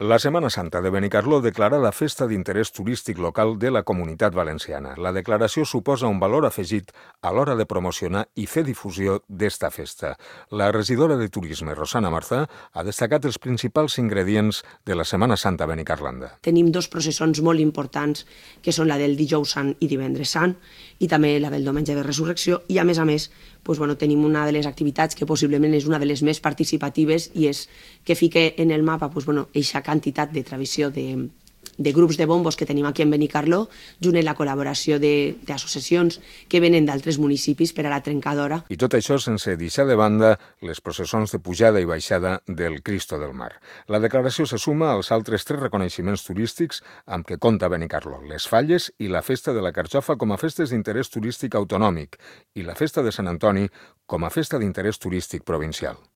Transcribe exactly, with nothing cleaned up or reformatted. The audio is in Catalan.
La Setmana Santa de Benicarló declara la festa d'interès turístic local de la Comunitat Valenciana. La declaració suposa un valor afegit a l'hora de promocionar i fer difusió d'esta festa. La regidora de Turisme, Rosana Marzà, ha destacat els principals ingredients de la Setmana Santa a Benicarlanda. Tenim dos processons molt importants, que són la del dijous sant i divendres sant, i també la del diumenge de resurrecció, i a més a més doncs, bueno, tenim una de les activitats que possiblement és una de les més participatives i és que fique en el mapa doncs, bueno, eixa quantitat de tradició de, de grups de bombos que tenim aquí en Benicarló, junt amb la col·laboració d'associacions que venen d'altres municipis per a la trencadora. I tot això sense deixar de banda les processons de pujada i baixada del Cristo del Mar. La declaració se suma als altres tres reconeixements turístics amb què compta Benicarló: les Falles i la Festa de la Carxofa com a festes d'interès turístic autonòmic i la Festa de Sant Antoni com a festa d'interès turístic provincial.